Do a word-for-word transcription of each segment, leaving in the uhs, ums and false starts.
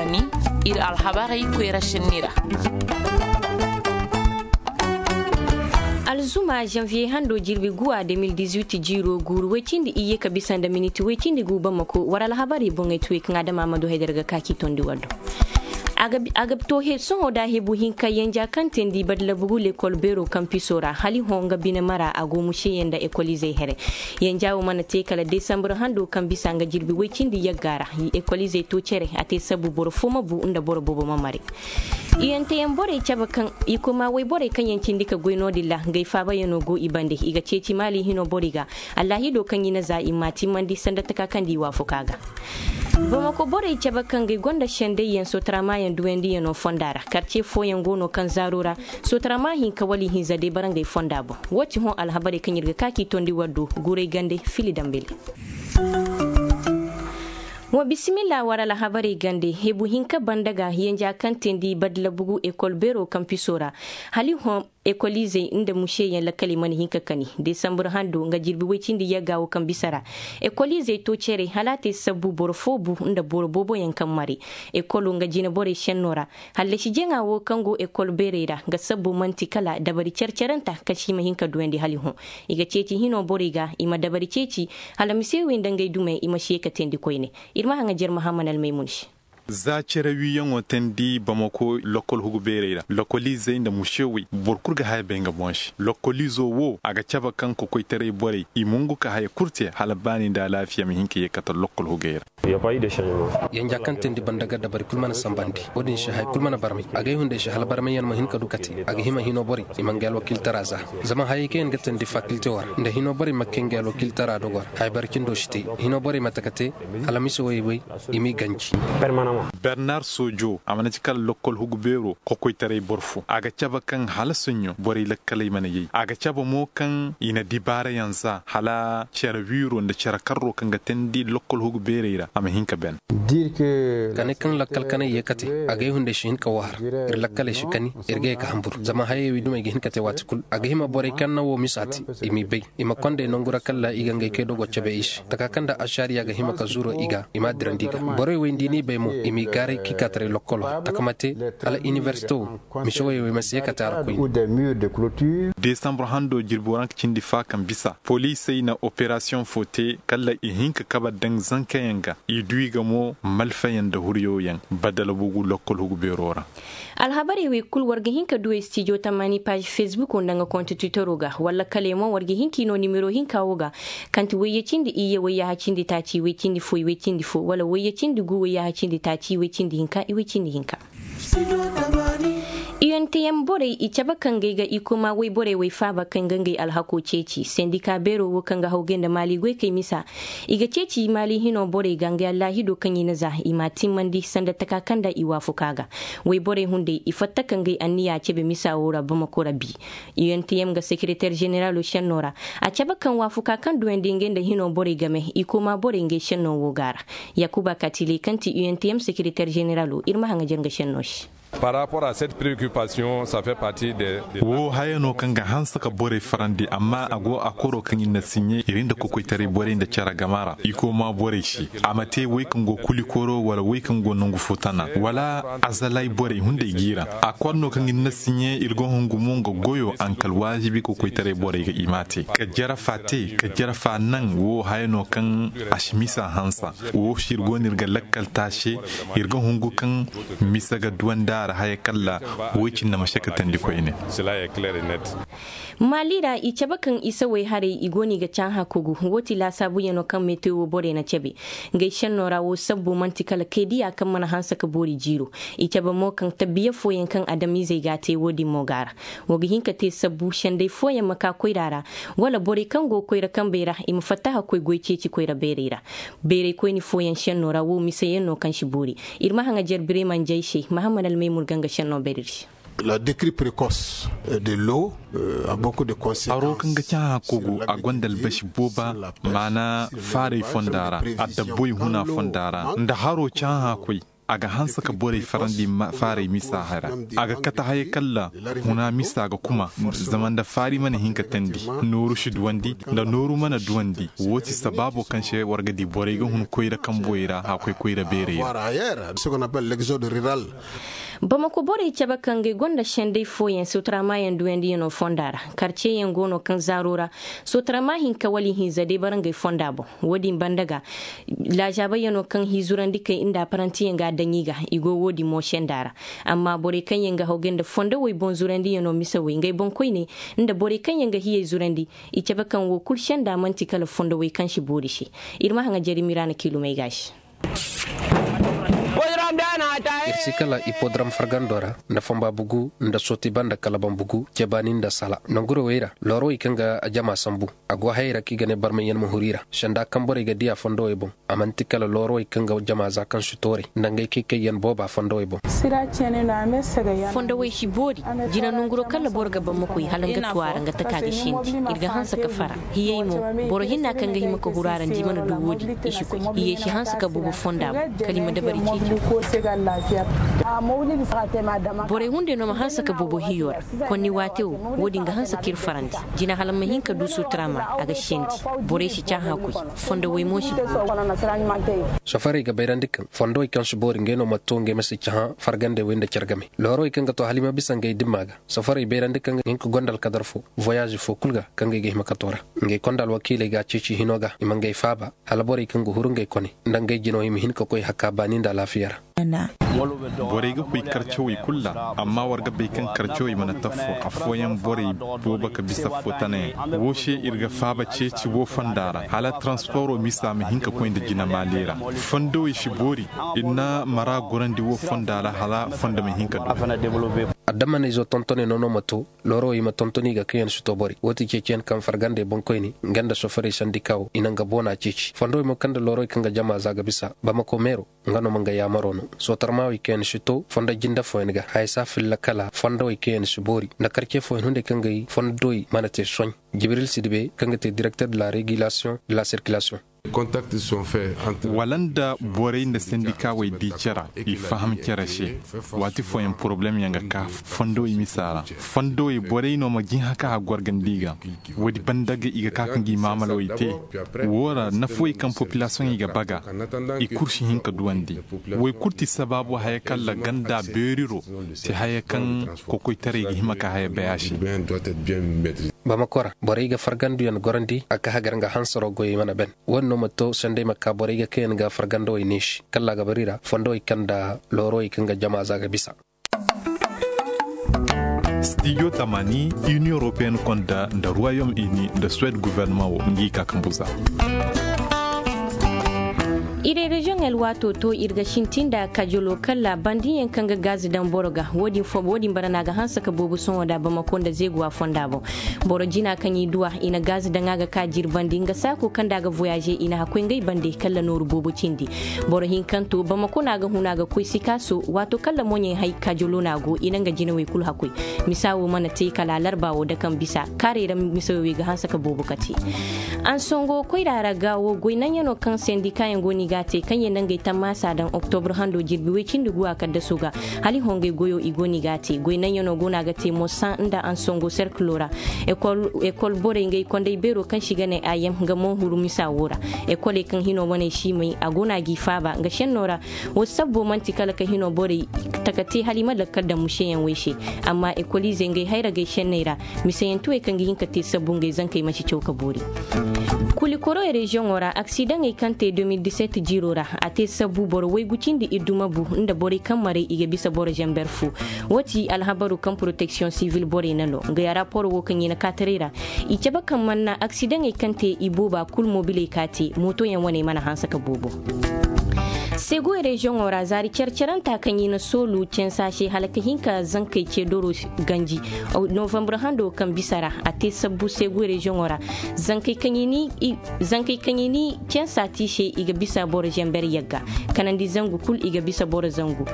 Iri alhabarey koyra senni ra. Alzuma janvier hando jirbi guwa deux mille dix-huit jiiro guuru way cindi iyye ka bisa nda miniti way cindi gu bamako war alhabarey boŋey tuwey kaŋ adama ma du haydara ga ka k'i tondi waddo. A ga to sohõ da hebu hinka yanja kaŋ teendi badalabugu lekol beero kaŋ piso ra hali hõ nga bine mara a go museyaŋ nda ekolizey here. Yanja wo mana te kala desambur hando kaŋ bisa nga jirbi way cindi yagga ra. Ekolizey to cere a te sabu boro fo ma bu nda boro boobo ma mare. Iyante yaŋ borey cabe kaŋ i koma wayborey kaŋ yaŋ cindi ka goy no- din ra ngey faabayaŋo go i bande i ga ceeci maali hino borey ga. Allaahido kaŋ i na za i ma timmandi sanda taka kaŋ da i waafaku a ga. Bamako borey cabe kaŋ ga i gonda sendayyaŋ sotaramayaŋ duwandiyaŋo fonda ra karce fooyaŋ go no kaŋ zaaro ra. Sotarama hinka wala ihinza day bara ngey fonda boŋ. Wo- ti hõ alhabarey kaŋ iri ga ka k'i tondi waddo guray gande fili dambili. Wa bisimilla war alhabarey gande hebu hinka banda ga yanja kaŋ teendi badalabugu ekol beero kaŋ piso ra. Hali hõ ekolizey nda museyaŋ lakkaley mana hin ka kani desambur hando nga jirbi way cindi yagga wo kaŋ bisa ra. Ekolizey to cere hala a te sabbu boro fo bu nda boro booboyaŋ kaŋ mare. Ekolo nga jine borey senno ra. Hallasi jaŋa wo kaŋ go ekol beerey ra nga sabbu manti kala dabari care-caranta kaŋ si ma hin ka duwandi hali hõ. I ga ceeci hino borey ga i ma dabari ceeci hala mise wey nda ngey dumey i ma si ye ka teendi koyne. Iri ma haŋajer mahamman almaymun se. Za cere wiiyaŋo teendi bamako lokkol hugu beerey ra lokkoliizey nda musewey boro kulu ga haya bay nga boŋ se lokkoliizo wo a ga cabe kaŋ kokoytaray borey i ma hungu ka haya kulu te hala baani nda alaafiya ma hin ka ye kate lokkol hugey ra. Yanja kaŋ teendi banda ga dabari kulu mana sambandi wo- din se haya kulu mana barmay a ga ay hunday se hala barmayyaŋ ma hin ka du ka te a ga hima hino borey i ma nga alwakiiltara za. Zama hayey kaŋ yaŋ ga teendi fakilte wo ra nda hino borey ma kay nga alwakiiltara dogo ra haya bari cindo si te. Hino borey mate ka te hala mise wayey way i m'i ganji. Bernar sojo a mana ci kala lokkol hugu beero kokoytaray boro fo a ga cabe kaŋ hala soɲɲo borey lakkaley mana yay a ga cabe mo kaŋ i na dibaarayaŋ za hala care wiiro nda care karro kaŋ ga teendi lokkol hugu beerey ra a ma hin ka ben. Kani kaŋ lakkal kanay ye kate a ga ay hunday si hin ka wahar. Iri lakkaley si kani iri ga ye ka hambur zama hayey wi dumey ga hin ka te waati kulu a ga hima borey kaŋ na wo misa te i m'i bay. I ma kondey nangu ra kala i ga ngey kay dogo cabe i se taka kaŋ nda ašariya ga hima ka zuro i ga i m'a dirandi i ga. Borey wey nda i n'i bay mo i m'i gaaray k'i ka taray lokkolo ra taka ma te hala inibersite wo mise wayey wey ma si ye ka te a ra koyne. Desambur hando jirbi waranka cindi fa kaŋ bisa poliisey na operasiyoŋ fo te kala i hin ka kabe daŋ zankayaŋ ga i du i ga mo malfayaŋ nda huryoyaŋ badalabugu lokkol hugu beero ra. Alhabarey wey kulu war ga hin ka du ay stijo tamaani paazi fesbuko nda nga konti twitero ga wala kale mo war ga hin k'i no nimero hinka wo ga. Kaŋ ti wayye cindi iyye wayyaha cindi taaci way cindi fo way cindi fo wala wayye cindi gu wayyaha cindi taaci way cindi hinka i way cindi hinka. Iyonteyaŋ borey i cabe kaŋ gay ga i koma wayborey way faaba kaŋ ga ngey alhako ceeci sendika beero wo kaŋ ga hawgay nda maali goykey misa. I ga ceeci maali hino borey ga ngey allaahido kaŋ i na za i m'a timmandi sanda taka kaŋ nda i waafaku a ga. Wayborey hunday i fatta ka ngey anniya cabe misa wo ra bamako ra bi. Iyonteyaŋ ga sekereteer ženeralo senno ra. A cabe kaŋ waafaku a kaŋ duwandi ngey nda hino borey game i koma borey ngey senno wo ga a ra. Yaakuba katiley kaŋ ti iyonteyaŋ sekereteer ženeralo iri ma haŋajer nga senno se. Par rapport à cette préoccupation ça fait partie des. Wo haya no kaŋ ga hanse ka borey farandi amma a go akoro kaŋ i na siɲe iri nda kokoytaray borey nda care gama ra i koma borey se. A ma te way kaŋ go kulikoro wala way kaŋ go nangu fo tana wala azalay borey hunday g'i ra. Akor no kaŋ i na siɲe iri ga hungu mo nga goyo ankal waajibi kokoytaray borey ga i m'a te ka jarafa te ka jarafa naŋ wo haya no kaŋ a si misa hansa. Wo se iri go no iri ga lakkal taase. Iri ga hungu kaŋ misa ga duwandi a ra haya kalla. Wo-cine ma se ka tandi koyne. Maali ra i cabe kaŋ isawey haray i go no i ga cahã kogu wo ti laasaabuyaŋo kaŋ metewo borey na cabe. Ngey senno ra wo sabbo manti kala kaydiya kaŋ mana hanse ka boori jiiro. I cabe mo kaŋ tabbiya fooyaŋ kaŋ adamizey ga a te wo-din mo go a ra. Wo ga hin ka te sabbu senday fooyaŋ ma ka koyra ra. Wala borey kaŋ go koyra kambey ra i ma fattaha koy goy ceeci koyra beerey ra. Beeray koyne fooyaŋ senno ra wo misayaŋ no kaŋ si boori. Iri ma haŋajer bireemanjey se mahammad almaymur ga nga senno beer'iri se. Haro kaŋ ga cahã kogu a gonda albasi booba maana faaray fonda ra. Adabboy huna fonda ra nda haro cahã koy. A ga hanse ka borey farandi faaray misa hara. A ga kate haya kalla huna misa ga kuma, zama nda faari mana hin ka teendi, nooru si duwandi, nda nooru mana duwandi. Wo ti sabaabo kaŋ se war ga di borey ga hun koyra kamboy ra haakoy koyra beerey ra. Bamako borey cabe kaŋ ga ay gonda senday fooyaŋ sotarama yaŋ duwandi yaŋ no fonda ra. Karce yaŋ go no kaŋ zaaro ra sotarama hinka wala ihinza day bara ngey fonda boŋ. Wo- din banda ga laazaaba yaŋ no kaŋ hizurandi kay nda aparanti yaŋ ga a daŋ i ga i go wo- din mo senda ra. Amma borey kaŋ yaŋ ga hawgay nda fondowey boŋ zurandi yaŋ no misawey ngey boŋ koyne, nda borey kaŋ yaŋ ga hiyey zurandi, i cabe kaŋ wo kulu senda manti kala fondowey kaŋ si boori se. Iri ma haŋa jari mira na kiilumey ga se. Iri si kala ipodaram fargando ra nda fomba bugu nda sooti banda kala boŋ bugu ceebaani nda sala nangurowey ra loorowey kaŋ ga jama sambu. A go hayey ra kaŋ i ga ne barmay yaŋ ma huru i ra senda kaŋ borey ga diya fondowey boŋ. A manti kala loorowey kaŋ ga jama za kaŋ si tooray nda ngey kaykayyaŋ booba fondowey boŋ. Fondowey si boori. Jina nanguro kala boro ga bammakoy hala nga tu a ra nga taka ga sendi. Iri ga hanse ka fara. Hiyey mo, boro hinna kaŋ ga hima ka huru a ra nda i mana du wo- din i si koy. Hiyey si hanse ka boobo fonda boŋ kala i ma dabari ceeci. Borey hunday no ma hanse ka boobo hiyo ra. Konni waate wo, wo- din ga hanse k'iri farandi. Jina hala ma hin ka du sutura ma a ga sendi. Borey si cahã koy. Fondowey mo si boori. Sofarey ga bayrandi kaŋ fondowey kaŋ si boori ngey no ma to ngey ma si cahã fargandey wey nda care game. Loorowey kaŋ ga to hala i ma bisa ngey dimma ga. Sofarey bayrandi kaŋ ga hin ka gonda alkadar fo voyaazi fo kulu ga kaŋ ga i ga hima ka to ra. Ngey konda alwakiiley ga a ceeci hino ga i ma ngey faaba hala borey kaŋ ga huru ngey kone nda ngey jino i ma hin ka koy hakka baani nda alaafiya ra. Borey ga koy karcawey kulu ra, amma war ga bay kaŋ karcawey mana taffo afooyaŋ borey boobo ka bisa fo tanayaŋ. Wo se iri ga faaba ceeci wo fonda ra hala transporo misa ma hin ka koy nda jina maali ra. Fondowey si boori. Iri na mara gorandi wo fonda ra hala fondo ma hin ka du. Addamaney zo tontoney no no ma to loorowey ma tonton i ga kaŋ yaŋ si to borey wo ti ceeciyaŋ kaŋ fargandey boŋkoyne nga nda sofarey sandika wo i na nga boona ceeci fondowey mo kaŋ nda loorowey kaŋ ga jama za ga bisa bamako meero. Nga no ma nga yaamaro no sootarmaawey kaŋ yaŋ si to fondo jinde fooyaŋ ga haya si a filla kala fondowey kaŋ yaŋ si boori nda karce fooyaŋ hunday kaŋ ga ay fondowey mana te soñ. Jibril sidibe kaŋ ga te direkter de la regulation de la circulation. Wala nda borey nda sendikaawey di care ra i faham care se. Waati fooyaŋ poroblem yaŋ ga ka fondowey misa ra. Fondowey borey no ma jin haka a gorgandi ga. Woodi banda ga i ga ka ka ngi maamalawey te. Wo ra nafawey kaŋ popilasiyoŋey ga baga i kulu si hin ka duwandi. Woy kulu ti sabaabu haya kaŋ ra ganda beeriro ti haya kaŋ kokoytaray ga hima ka haya bay a se. Bamako ra borey ga fargandiyaŋ gorandi a ka hagar nga hansaro goyey mana ben. Wo- din no ma to sanday ma ka borey ga kaŋ yaŋ ga fargandawey neesi kala a ga bari ra fondowey kaŋ nda loorowey kaŋ ga jama za ga bisa. Stijo tamaani, inion europeen konda nda ruwayom ini nda suwed guvernama wo ngi ka kambu za. Iri reziyoŋ el waato to iri ga sintin nda kajolo kala bandiyaŋ kaŋ ga gaazi daŋ boro ga wo- din bara no a ga hanse ka boobo sohõ nda bamako nda zeeguwa fonda boŋ. Boro jina kaŋ i duwa i na gaazi daŋ a ga ka jirbandi nga saako kaŋ nda a ga voyaaze i na hakkoy ngey bande kala nooru boobo cindi. Boro hinkanto bamako no a ga hun a ga koy sikaaso waato kala moɲey hay kajolo no a go i na nga jinawey kulu hakkoy. Misa wo mana te kala alarba wo da kaŋ bisa kaarey ra misawey ga hanse ka boobo kate. Ansongo koyra ra ga wo goy naŋyaŋo kaŋ sendikaayaŋ go no i ga a te kaŋ yaŋ na ngey tammaasa daŋ oktobur hando jirbi way cindi guwa kaddaso ga hala i hongey goyo i go no i ga a te goy naŋyaŋo go no a ga te mo saŋ nda ansongo serkilo ra. Ekol borey ngey kondey beero kaŋ se i ga ne a yam nga mo huru misa wo ra. Ekoley kaŋ hino wane si may a go no a g'i faaba nga senno ra. Wo sabbo manti kala ka hino borey taka te hala i ma lakkal daŋ museyaŋ way se. Amma ekoliizey ngey hayragey senney ra miseyantuwey kaŋ ga hin ka te sabbu ngey zankey manti caw ka boori. Kulikoro reziyoŋo ra aksidaŋey kaŋ te deux mille dix-sept jiiro ra a te sabbu boro waygu cindi iddu mabu nda borey kaŋ maray i ga bisa boro zamber fo. Wo ti alhabaru kaŋ poroteksiyoŋ sivil borey na no nga ya raporo wo kaŋ i na kaataray ra. I cabe kaŋ mana aksidaŋey kaŋ te i booba kulu mobiley ka te mootoyaŋ waney mana hanse ka boobo. Seeguwey reziyoŋo ra zaari care caranta kaŋ i na soolu cansa se hala ka hin ka zankey ce doro ganji. Novambre hando kaŋ bisa ra a te sabbu seeguwey reziyoŋo ra zankey kaŋ i ni zankey kaŋ i ni cansa te i se i ga bisa boro zamber yagga. Kanandi zangu kulu i ga bisa boro zangu.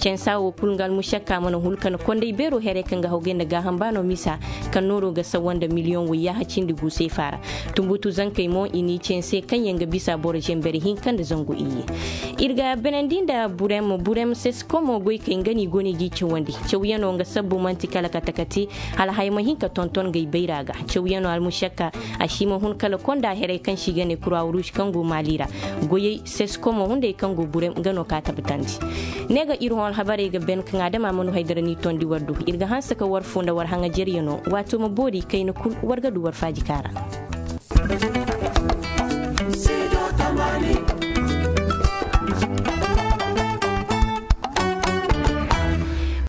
Cansa wo kulu nga almushakka mana hul kana kondey beero here kaŋ ga hawgay nda gaaham baano misa kaŋ nooro ga sawa nda miliyoŋ wayyaha cindi gu seefa ra. Tumbutu zankey mo i n'i canse kaŋ yaŋ ga bisa boro zamber hinka nda zangu iyye. Iri ga beenandi nda burem burem seskomo goy kay nga no i go no i g'i cawandi. Cawyano nga sabbu manti kala kate kate hala haya ma hin ka tonton ngey bayra ga. Cawyano almušakka a si ma hun kala konda haray kaŋ se i ga ne kuraw ruuž kaŋ go maali ra. Goyey seskomo hunday kaŋ go burem nga no ka tabbatandi. Ne ga iri hõ alhabarey ga been kaŋ adama ma no haydara n'i tondi war du iri ga hanse ka war fo nda war haŋajeryano waato ma boori kayna kulu war ga du war faaji kaara.